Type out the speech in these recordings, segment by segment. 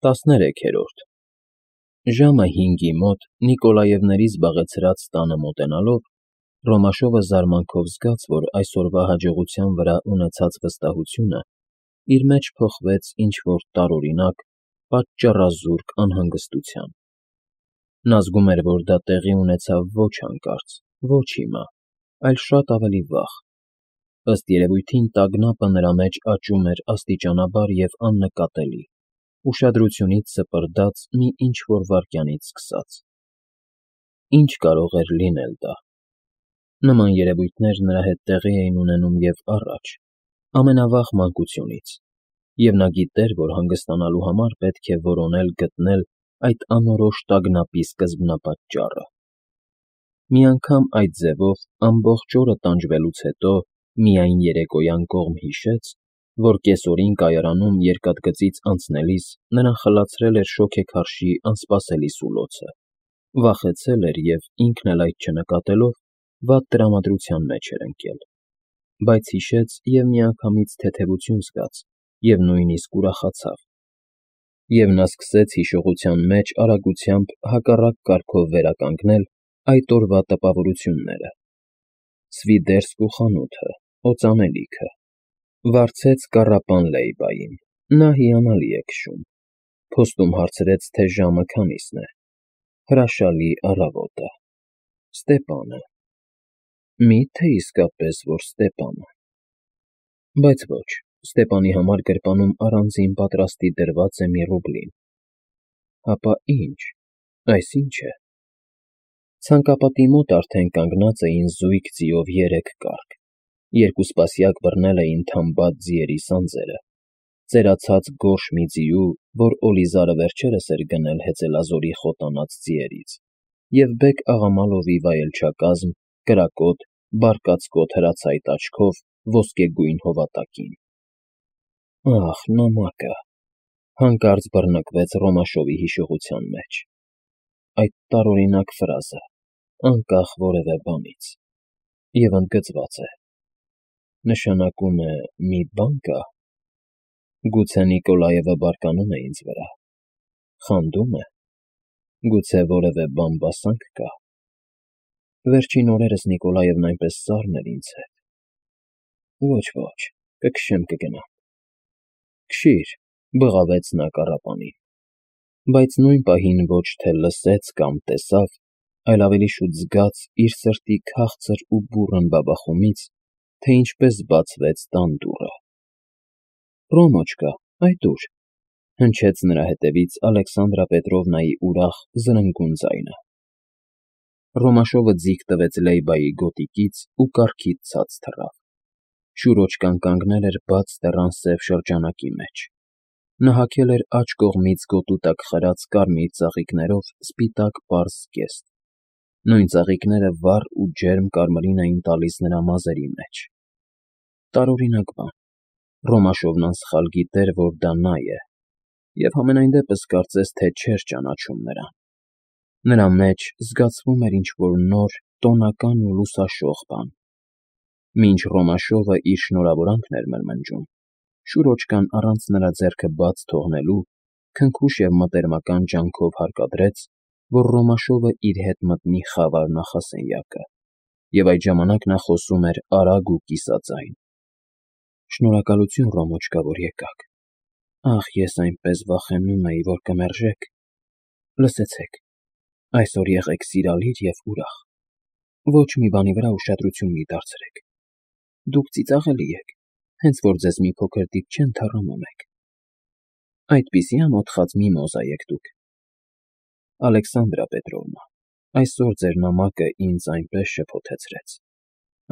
13-րդ Ժամը 5-ի մոտ Նիկոլաևների զբաղեցրած տանը մոտենալով Ռոմաշովը զարմանքով զգաց, որ այսօրվա հաջողության վրա ունեցած վստահությունը իր մեջ փոխվեց ինչ֊որ տարօրինակ, պատճառազուրկ անհանգստության. նա զգում էր, որ դա տեղի ունեցավ ոչ հանկարծ, ոչ հիմա, այլ շատ ավելի վաղ. ըստ երևույթին տագնապը նրա մեջ աճում էր աստիճանաբար և աննկատելի, ուշադրությունից սպրդած մի ինչ֊որ վայրկյանից սկսած. Ինչ կարող էր լինել դա. նման երևույթներ նրա հետ տեղի էին ունենում և առաջ, ամենավաղ մանկությունից, և նա գիտեր, որ հանգստանալու համար պետք է որոնել գտնել այդ անորոշ տագնապի սկզբնապատճառը. մի անգամ այդ ձևով ամբողջ օրը տանջվելուց հետո միայն երեկոյան կողմ հիշեց, որ կեսօրին կայարանում երկաթգծից անցնելիս նրան խլացրել էր շոգեքարշի անսպասելի սուլոցը, վախեցել էր և, ինքն էլ այդ չնկատելով, վատ տրամադրության մեջ էր ընկել, բայց հիշեց և միանգամից թեթևություն զգաց և նույնիսկ ուրախացավ, և նա սկսեց հիշողության մեջ արագությամբ հակառակ կարգով վերականգնել այդ օրվա տպավորությունները. Սվիդերսկու խանութը, օծանելիքը, վարձեց կառապան Լեյբային, նա հիանալի է քշում, փոստում հարցրեց, թե ժամը քանիսն է, հրաշալի առավոտը, Ստեպանը, մի՞թե իսկապես որ Ստեպանը, բայց ոչ, Ստեպանի համար գրպանում առանձին պատրաստի դրված է մի ռուբլին, ապա ի՞նչ, այս ի՞նչ է, ցանկապատի մոտ արդեն կանգնած էին զույգ ձիով 3 կառք, երկուսպասյակ բռնել էին թամբած ձիերի սանձերը, ծերացած գորշ մի ձիու, որ Օլիզարը վերջերս էր գնել հեծելազորի խոտանած ձիերից, և Բեկ-Աղամալովի վայելչակազմ, կրակոտ, բարկացկոտ հրացայտ աչքով ոսկեգույն հովատակին։ Ահ, նամակը, հանկարծ բռնկվեց Ռոմաշովի հիշողության մեջ, այդ տարօրինակ ֆրազը, անկախ որևէ բանից, և ընդգծված է, նշանակում է մի բան կա, գուցե Նիկոլաևը բարկանում է ինձ վրա, խանդում է, գուցե որևէ բամբասանք կա, վերջին օրերս Նիկոլաևն այնպես սառն էր ինձ հետ, ոչ, կքշեմ կգնամ, քշիր, բղավեց նա կառապանին, բայց նույն պահին ոչ թե լսեց կամ տեսավ, այլ ավելի շուտ զգաց իր սրտի քաղցր ու բուռն բաբախումից, թե ինչպես բացվեց տան դուռը։ Ռոմոչկա, այդ ո՞ւր, հնչեց նրա հետևից Ալեքսանդրա Պետրովնայի ուրախ, զրնգուն ձայնը։ Ռոմաշովը ձիգ տվեց Լեյբայի գոտիկից ու կառքից ցած թռավ։ Շուրոճկան կանգնել էր բաց դռան սև շրջանակի մեջ։ Նա հագել էր աջ կողմից գոտու տակ խրած կարմիր ծաղիկներով սպիտակ պարզ զգեստ։ Նույն ծաղիկները վառ ու ջերմ կարմիրին էին տալիս նրա մազերի մեջ։ Տարօրինակ բան, Ռոմաշովն անսխալ գիտեր, որ դա նա է, և համենայն դեպս կարծես թե չէր ճանաչում նրան։ Նրա մեջ զգացվում էր ինչ֊որ նոր, տոնական ու լուսաշող բան։ Մինչ Ռոմաշովը իր շնորհավորանքն էր մրմնջում, Շուրոճկան առանց նրա ձեռքը բաց թողնելու քնքուշ և մտերմական ջանքով հարկադրեց, որ Ռոմաշովը իր հետ մտնի խավար նախասենյակը, և այդ ժամանակ նա խոսում էր արագ ու կիսաձայն. Շնորհակալություն, Ռոմոչկա, որ եկաք, ախ, ես այնպես վախենում էի, որ կմերժեք, լսեցեք, այսօր եղեք սիրալիր և ուրախ, ոչ մի բանի վրա ուշադրություն մի դարձրեք, դուք ծիծաղելի եք, հենց որ ձեզ մի փոքր դիպչեն, թառամում եք, այդպիսի ամոթխած միմոզա եք դուք, Ալեքսանդրա Պետրովնա, այսօր ձեր նամակը ինձ այնպես շփոթեցրեց,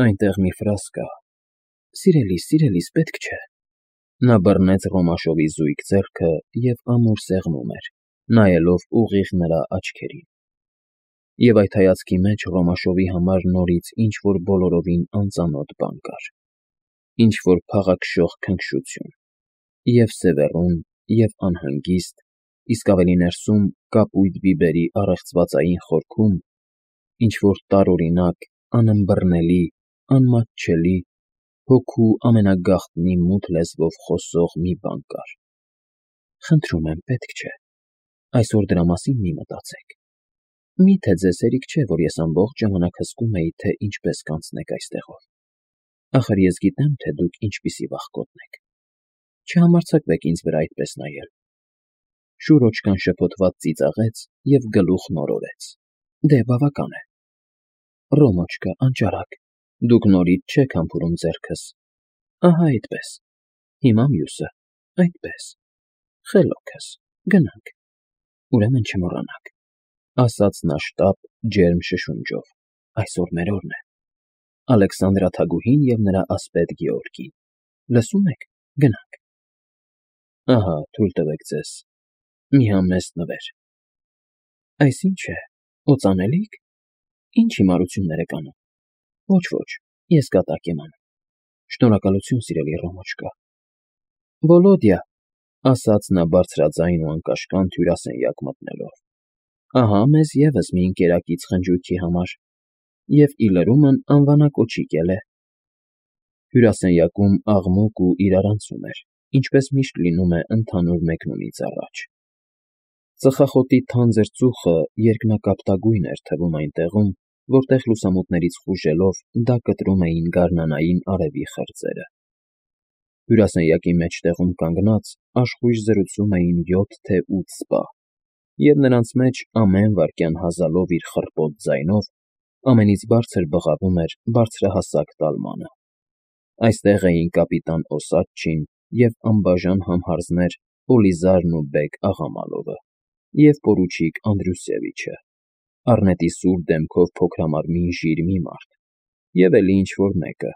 այնտեղ մի ֆրազ կա, սիրելիս, պետք չէ, նա բռնեց Ռոմաշովի զույգ ձեռքը և ամուր սեղմում էր, նայելով ուղիղ նրա աչքերին։ Եվ այդ հայացքի մեջ Ռոմաշովի համար նորից ինչ֊որ բոլորովին անծանոթ բան կար, ինչ֊որ փաղաքշող քնքշություն, և սևեռուն, և անհանգիստ, իսկ ավելի ներսում կապույտ բիբերի առեղծվածային խորքում, ինչ֊որ տարօրինակ, անըմբռնելի, անմատչելի, հոգու ամենագաղտնի մութ լեզվով խոսող մի բան կար։ Խնդրում եմ, պետք չէ։ Այսօր դրա մասին մի մտածեք։ Միթե ձեզ հերիք չէ, որ ես ամբողջ ժամանակ հսկում էի, թե ինչպես կանցնեք այստեղով։ Ախր ես գիտեմ, թե դուք ինչպիսի վախկոտն եք։ Չհամարձակվեք ինձ վրա այդպես նայել։ Շուրոչկան շփոթված ծիծաղեց և գլուխն օրորեց։ Դե բավական է։ Ռոմոչկա, անճարակ, դուք նորից չեք համբուրում ձեռքս։ Ահա այդպես։ Հիմա մյուսը, այդպես։ Խելոքս, գնանք։ Ուրեմն չմոռանաք, ասաց նա շտապ, ջերմ շշունջով, այսօր մեր օրն է։ Ալեքսանդրաթագուհին և նրա ասպետ Գեորգին։ Լսում եք, գնանք։ Ահա, թույլ տվեք ձեզ, մի համեստ նվեր։ Այս ինչ է, օծանելիք։ Ինչ հիմարություններ եք անում։ Ոչ, ես կատակ եմ անում։ Շնորհակալություն, սիրելի Ռոմոչկա։ Վոլոդյա, ասաց նա բարձրաձայն ու անկաշկանդ հյուրասենյակ մտնելով։ Ահա մեզ ևս մի ընկերակից խնջույքի համար։ Եվ ի լրումն անվանակոչիկ էլ է։ Հյուրասենյակում աղմուկ ու իրարանցում էր, ինչպես միշտ լինում է ընդհանուր մեկնումից առաջ։ Ծխախոտի թանձր ծուխը երկնակապտագույն էր թվում այնտեղում, որտեղ լուսամուտներից խուժելով դա կտրում էին գարնանային արևի խրձերը։ Հյուրասենյակի մեջտեղում կանգնած աշխույժ զրուցում էին 7 թե 8 սպա, և նրանց մեջ ամեն վայրկյան հազալով իր խռպոտ ձայնով ամենից բարձր բղավում էր բարձրահասակ տալմանը։ Այստեղ էին կապիտան Օսադչին և անբաժան համհարձներ Օլիզարն ու բեգ Աղամալովը և պորուչիկ Անդրուսևիչը, առնետի սուր դեմքով փոքրամարմին ժիրմի մարդ, և էլի ինչ֊որ մեկը,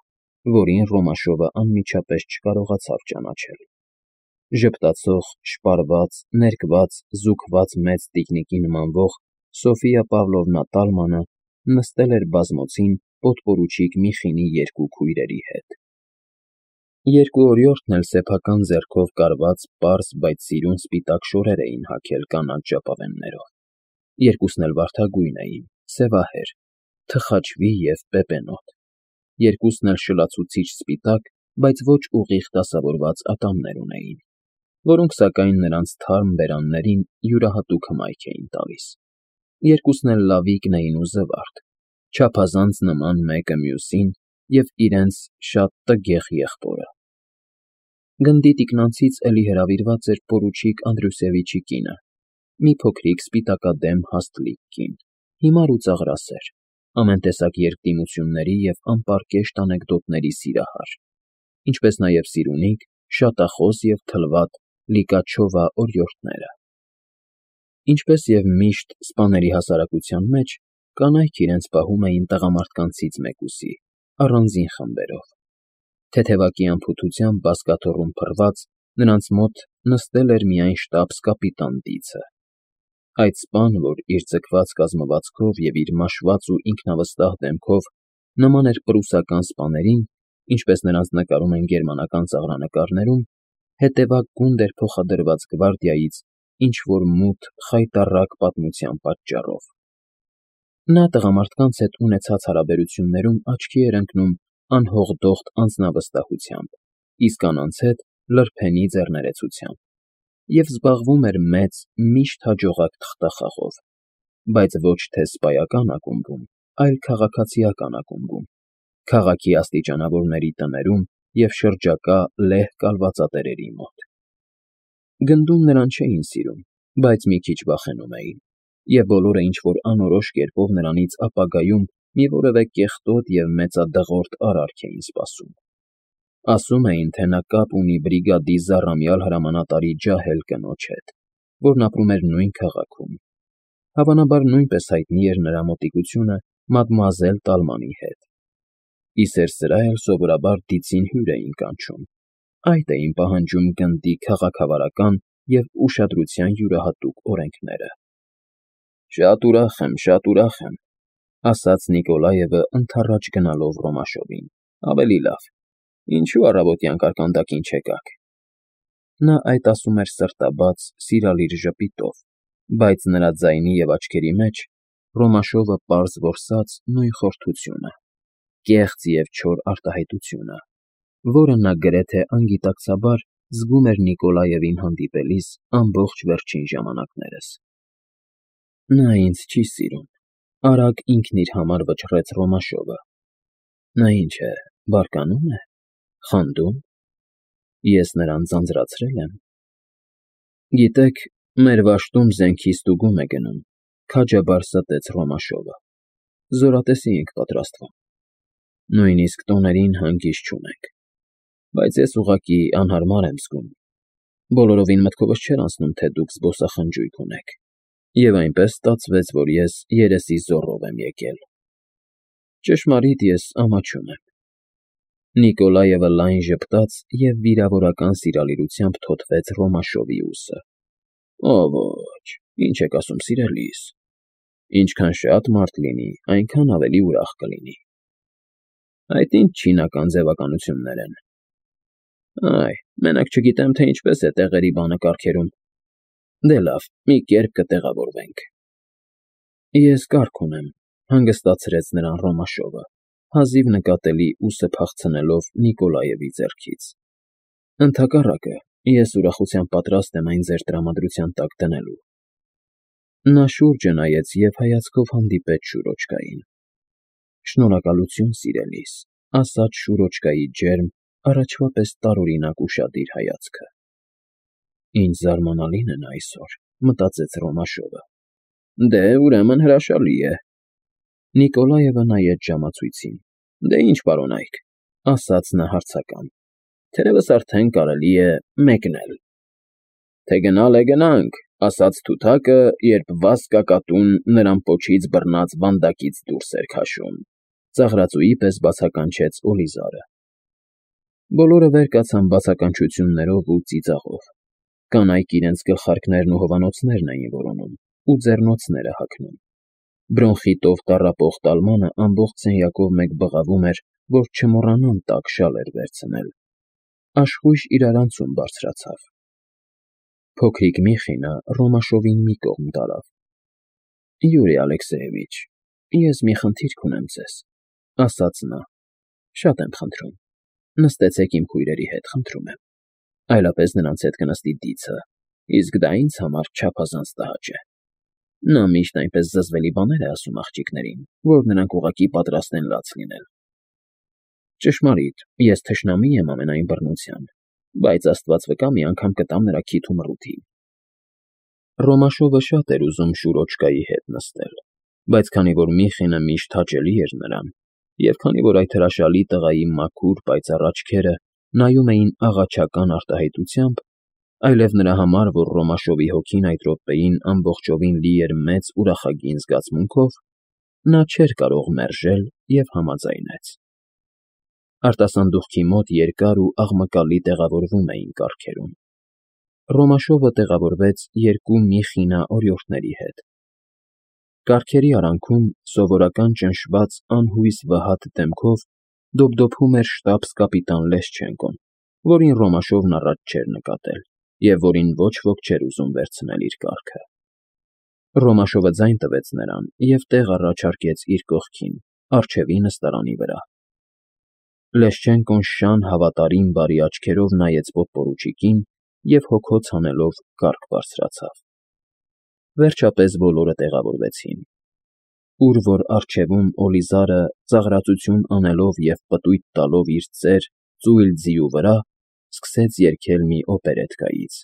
որին Ռոմաշովը անմիջապես չկարողացավ ճանաչել։ Ժպտացող, շպարված, ներկված, զուգված մեծ տիկնիկի նմանվող Սոֆիա Պավլովնա Տալմանը նստել էր բազմոցին պոդպորուչիկ Միխինի 2 քույրերի հետ։ Երկու օրիորդն էլ սեփական ձեռքով կարված պարզ, բայց սիրուն սպիտակ շորեր էին հագել կանաչ ժապավեններով։ Երկուսն էլ վարդագույն էին, սևահեր, թխաչվի և պեպենոտ։ Երկուսն էլ շլացուցիչ սպիտակ, բայց ոչ ուղիղ դասավորված ատամներ ունեին, որոնք սակայն նրանց թարմ բերաններին յուրահատուկ հմայք էին տալիս։ Երկուսն էլ լավիկն էին ու զվարթ, չափազանց նման մեկը մյուսին և իրենց շատ տգեղ եղբորը։ Գնդի տիկնանցից էլի հրավիրված էր պորուչիկ Անդրուսևիչի կինը, մի փոքրիկ սպիտակադեմ հաստլիկ կին, հիմար ու ծաղրասեր, ամեն տեսակ երկդիմությունների և անպարկեշտ անեկդոտների սիրահար, ինչպես նաև սիրունիկ, շատախոս և թլվատ Լիկաչովա օրիորդները։ Ինչպես և միշտ սպաների հասարակության մեջ, կանայք իրենց պահում էին տղամարդկանցից մեկուսի, առանձին խմբերով։ Թեթևակի անփութությամբ բազկաթոռում փռված, նրանց մոտ նստել էր միայն շտաբս կապիտան Դիցը։ Այդ սպան, որ իր ձգված կազմվածքով և իր մաշված ու ինքնավստահ դեմքով նման էր պրուսական սպաներին, ինչպես նրանց նկարում են գերմանական ծաղրանկարներում, հետևակ գունդ էր փոխադրված գվարդիայից ինչ֊որ մութ, խայտառակ պատմության պատճառով։ Նա տղամարդկանց հետ ունեցած հարաբերություններում աչքի էր ընկնում անհողդոխտ անձնավստահությամբ, իսկ կանանց հետ լրփենի ձեռներեցությամբ, և զբաղվում էր մեծ, միշտ հաջողակ թղթախաղով, բայց ոչ թե սպայական ակումբում, այլ քաղաքացիական ակումբում, քաղաքի աստիճանավորների տներում և շրջակա լեհ կալվածատերերի մոտ։ Գնդում նրան չէին սիրում, բայց մի քիչ վախենում էին, և բոլորը ինչ֊որ անորոշ կերպով նրանից ապագայում մի որևէ կեղտոտ և մեծադղորդ արարք էին սպասում։ Ասում էին, թե նա կապ ունի բրիգադի զառամյալ հրամանատարի ջահել կնոջ հետ, որն ապրում էր նույն քաղաքում։ Հավանաբար նույնպես հայտնի էր նրա մոտիկությունը մադմուազել Տալմանի հետ։ Ի սեր սրա էլ սովորաբար Դիցին հյուր էին կանչում, այդ էին պահանջում գնդի քաղաքավարական և ուշադրության յուրահատուկ օրենքները։ Շատ ուրախ եմ, ասաց Նիկոլաևը ընդառաջ գնալով Ռոմաշովին, ավելի լավ, ինչու առավոտյան կարկանդակին չեկաք։ Նա այդ ասում էր սրտաբաց, սիրալիր ժպիտով, բայց նրա ձայնի և աչքերի մեջ Ռոմաշովը պարզ որսաց նույն խորթությունը, կեղծ և չոր արտահայտությունը, որը նա գրեթե անգիտակցաբար զգում էր Նիկոլաևին հանդիպելիս ամբողջ վերջին ժամանակներս։ Նա ինձ չի սիրում,֊ արագ ինքն իր համար վճռեց Ռոմաշովը։ Նա ինչ է, բարկանում է, խանդում, ես նրան ձանձրացրել եմ։ Գիտեք, մեր վաշտում զենքի ստուգում է գնում,֊ քաջաբար ստեց Ռոմաշովը։ Զորատեսի ենք պատրաստվում։ Նույնիսկ տոներին հանգիստ չունենք, բայց ես ուղղակի անհարմար եմ զգում։ Բոլորովին մտքովս չէր անցնում, թե դուք զբոսախնջույք ունեք, և այնպես ստացվեց, որ ես երեսի զոռով եմ եկել։ Ճշմարիտ ես ամաչում եմ։ Նիկոլաևը լայն ժպտաց և վիրավորական սիրալիրությամբ թոթվեց Ռոմաշովի ուսը։ Ոչ, ինչ եք ասում, սիրելիս, ինչքան շատ մարդ լինի, այնքան ավելի ուրախ կլինի։ Այդ ինչ չինական ձևականություններ են։ Այ, մենակ չգիտեմ, թե ինչպես է տեղերի բանը կարգերում։ Դե լավ, մի կերպ կտեղավորվենք։ Ես կարգ ունեմ,֊ հանգստացրեց նրան Ռոմաշովը, հազիվ նկատելի ուսը փախցնելով Նիկոլաևի ձեռքից։ Ընդհակառակը, ես ուրախությամբ պատրաստ եմ այն ձեր տրամադրության տակ դնելու։ Նա շուրջը նայեց և հայացքով հանդիպեց Շուրոջկային։ Շնորհակալություն, սիրելիս,֊ ասաց Շուրոջկայի ջերմ, առաջվա պես տարօրինակ ուշադիր հայացքը։ Ինչ զարմանալին է նա այսօր,֊ մտածեց Ռոմաշովը։ Դե, ուրեմն հրաշալի է։ Նիկոլաևը նայեց ժամացույցին։ Դե ինչ պարոնայք,֊ ասաց նա հարցական, թերևս արդեն կարելի է մեկնել։ Թե գնալ է գնանք,֊ ասաց թութակը, երբ վազկակատուն նրան պոչից բռնած վանդակից դուրս էր քաշում,֊ ծաղրածուի պես բացականչեց Օլիզարը։ Բոլորը վեր կացան բացականչություններով ու ծիծաղով։ Կանայք իրենց գլխարկներն ու հովանոցներն էին որոնում ու ձեռնոցները հագնում։ Բրոնխիտով տառապող տալմանը ամբողջ սենյակով մեկ բղավում էր, որ չմոռանան տաք շալեր վերցնել։ Աշխույժ իրարանցում բարձրացավ։ Փոքրիկ Միխինը Ռոմաշովին մի կողմ տարավ։ Յուրի Ալեքսեևիչ, ես մի խնդիր կունեմ ձեզ,֊ ասաց նա։ Շատ եմ խնդրում, նստեցեք իմ քույրերի հետ, խնդրում եմ։ Այլապես նրանց հետ կնստի Դիցը, իսկ դա ինձ համար չափազանց տհաճ է։ Նա միշտ այնպես զզվելի բաներ է ասում աղջիկներին, որ նրանք ուղղակի պատրաստ են լաց լինել։ Ճշմարիտ, ես թշնամի եմ ամենայն բռնության, բայց Աստված վկա, մի անգամ կտամ նրա քիթ ու մռութին։ Ռոմաշովը շատ էր ուզում Շուրոջկայի հետ նստել, բայց քանի որ Միխինը միշտ հաճելի էր նրան, և քանի որ այդ հրաշալի տղայի մաքուր, պայծառ աչքերը նայում էին աղաչական արտահայտությամբ, այլև նրա համար, որ Ռոմաշովի հոգին այդ րոպեին ամբողջովին լի էր մեծ ուրախագին զգացմունքով, նա չէր կարող մերժել և համաձայնեց։ Արտասանդուղքի մոտ երկար ու աղմկալի տեղավորվում էին կառքերում։ Ռոմաշովը տեղավորվեց երկու Միխինա օրիորդների հետ։ Կառքերի արանքում սովորական ճնշված անհույս վհատ դեմքով դոփդոփում էր շտաբս֊կապիտան Լեսչենկոն, որին Ռոմաշովն առաջ չէր նկատել և որին ոչ ոք չէր ուզում վերցնել իր կառքը։ Ռոմաշովը ձայն տվեց նրան և տեղ առաջարկեց իր կողքին, առջևի նստարանի վրա։ Լեսչենկոն շան հավատարիմ բարի աչքերով նայեց պոդպորուչիկին և հոգոց հանելով կառք բարձրացավ։ Վերջապես բոլորը տեղավորվեցին։ Ուր որ առջևում Օլիզարը, ծաղրածություն անելով և պտույտ տալով իր ծեր, ծույլ ձիու վրա, սկսեց երգել մի օպերետկայից.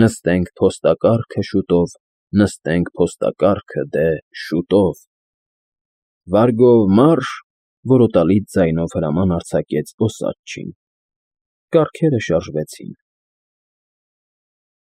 Նստենք փոստակառքը շուտով, նստենք փոստակառքը դե շուտով։ Վարգով մարշ, որոտալից ձայնով հրաման արձակեց օսաչին։ Կառքերը շարժվեցին։